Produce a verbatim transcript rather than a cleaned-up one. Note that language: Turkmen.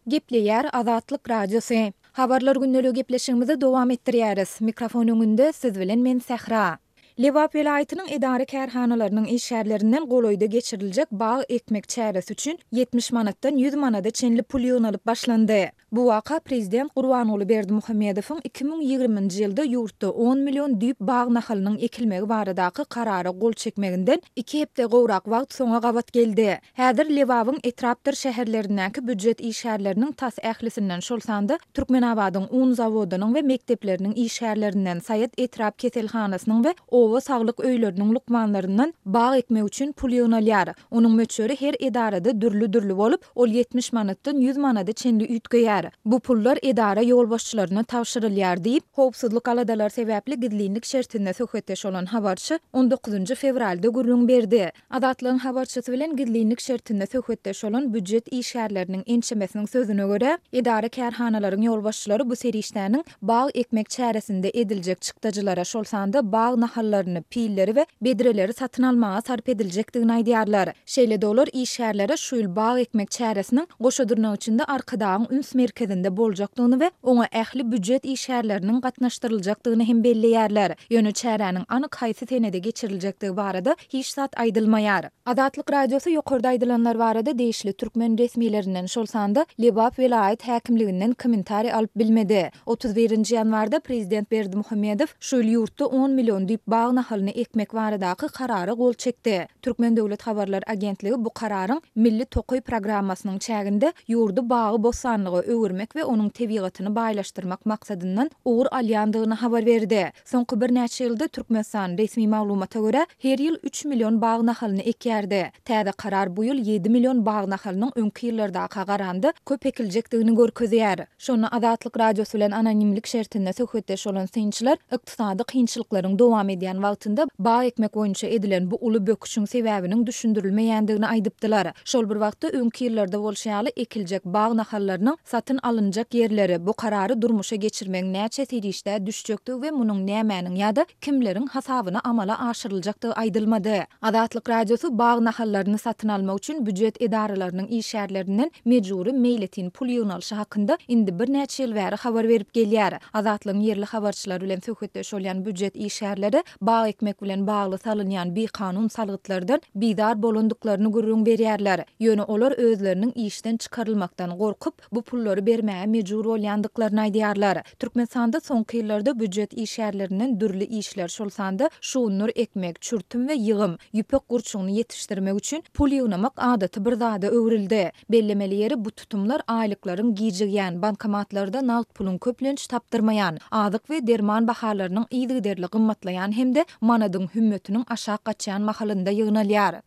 Gepleýär Azatlyk Radiosy. Habarlar gündeligi gepleşigimizi dowam etdirýäris. Mikrofon öňünde siz bilen men Sähra. Lebap welaýatynyň edara-kärhanalarynyň işgärlerinden golaýda geçiriljek bag ekmek çäresi üçin ýetmiş manatdan ýüz manada çenli pul ýygnalyp başlandy. Bu waka prezident Gurbanguly Berdimuhamedowyň iki müň ýigriminji ýylda ýurtda on million düýp bag nahalynyň ekilmegi baradaky karara gol çekmeginden iki hepde gowrak wagt soňa gabat geldi. Häzir Lebabyň etrapdyr şäherlerindäki býujet işgärleriniň tas ählisinden, şol sanda Türkmenabadyň un zawodynyň we mekdepleriniň işgärlerinden, Saýat etrap keselhanasynyň we oba saglyk öýleriniň lukmanlaryndan bag ekmek üçin pul ýygnalýar. Onuň möçberi her edarada dürli-dürli bolup, ol ýetmiş manatdan ýüz manada çenli üýtgeýär. Bu pullar edara ýolbaşçylaryna tabşyrylýar diýip, howpsuzlyk aladalary sebäpli gizlinlik şertinde söhbetdeş bolan habarçy on dokuzynjy fewralda gürrüň berdi. Azatlygyň habarçysy bilen gizlinlik şertinde söhbetdeş bolan býujet işgärleriniň ençemesiniň sözüne görä, edara-kärhanalaryň ýolbaşçylary bu serişdäniň bag ekmek çäresinde ediljek çykdajylara, şol sanda bag nahallaryny, pilleri we bedreleri satyn almaga sarp ediljekdigini aýdýarlar. Şeýle-de olar işgärlere şu ýyl bag ekmek çäresiniň goşa dyrnak içinde Arkadagyň üns merkezinde boljakdygyny we oňa ähli býujet işgärleriniň gatnaşdyryljakdygyny hem belleýärler. Ýöne çäräniň anyk haýsy senede geçiriljekdigi barada hiç zat aýdylmaýar. Azatlyk Radiosy ýokarda aýdylanlar barada degişli türkmen resmilerinden, şol sanda Lebap welaýat häkimliginden kommentariý alyp bilmedi. Otuz birinji ýanwarda prezident Berdimuhamedow şu ýyl ýurtda on million düýp bag nahalyny ekmek baradaky karara gol çekdi. Türkmen döwlet habarlar agentligi bu kararyň Milli tokaý programmasynyň çäginde ýurdy bagy-bossanlyga öwürmek we onuň tebigatyny baýlaşdyrmak maksadyndan ugur alýandygyny habar berdi. Soňky birnäçe ýylda Türkmenistan, resmi maglumata görä, her ýyl üç million bag nahalyny ekýärdi. Täze karar bu ýyl ýedi million bag nahalynyň öňki ýyllardaka garanda köp ekiljekdigini görkezýär. Şonda Azatlyk Radiosy bilen anonimlik şertinde söhbetdeş bolan synçylar ykdysady kynçylyklaryň dowam edýän wagtynda bag ekmek boýunça edilen bu uly böküşiň sebäbiniň düşündirilmeýändigini aýdypdylar. Şol bir wagtda öňki ýyllarda bolşy ýaly ekiljek bag nahallarynyň satyn alynjak ýerleri, bu karary durmuşa geçirmegiň näçe serişdä düşjekdigi we munuň nämäniň ýa-da kimleriň hasabyna amala aşyryljakdygy aýdylmady. Azatlyk Radiosy bag nahallaryny satyn almak üçin býujet edaralarynyň işgärlerinden mejbury meýletin pul ýygnalyşy hakynda indi birnäçe ýyl bäri habar berip gelýär. Azatlygyň ýerli habarçylary bilen söhbetdeş bolýan býujet işgärleri bag ekmek bilen bagly salynýan bikanun salgytlardan bizar bolandyklaryny gürrüň berýärler. Ýöne olar özleriniň işden çykarylmakdan gorkup, bu pullary bermäge mejbur bolýandyklaryny aýdýarlar. Türkmenistanda soňky ýyllarda býujet işgärlerinden dürli işler, şol sanda şugundyr ekmek, çürtüm we ýygym, ýüpek gurçugyny ýetişdirmek üçin pul ýygnamak adaty bir zada öwrüldi. Bellemeli ýeri bu tutumlar aýlyklaryň gijigýän, bankomatlarda nagt puluň köplenç tapdyrmaýan, azyk we derman bahalarynyň yzygiderli gymmatlaýan hem-de manadyň hümmetiniň aşak gaçýan mahalynda ýygnalýar.